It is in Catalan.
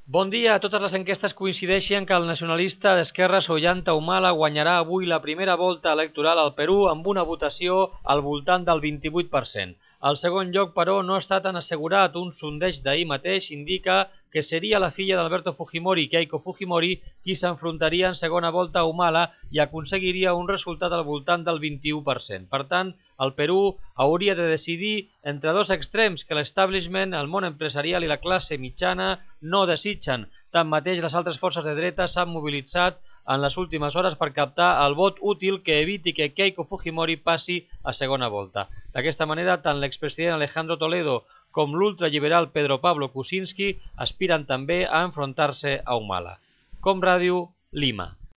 Bon dia. Totes les enquestes coincideixen que el nacionalista d'esquerres Ollanta Humala guanyarà avui la primera volta electoral al Perú amb una votació al voltant del 28%. El segon lloc, però, no està tan assegurat. Un sondeig d'ahir mateix indica que seria la filla d'Alberto Fujimori, Keiko Fujimori, qui s'enfrontaria en segona volta a Humala i aconseguiria un resultat al voltant del 21%. Per tant, el Perú hauria de decidir entre dos extrems que l'establishment, el món empresarial i la classe mitjana no desitgen. Tanmateix, les altres forces de dreta s'han mobilitzat en les últimes hores per captar el vot útil que eviti que Keiko Fujimori passi a segona volta. D'aquesta manera, tant l'expresident Alejandro Toledo com l'ultraliberal Pedro Pablo Kuczynski aspiren també a enfrontar-se a Humala. Com Ràdio, Lima.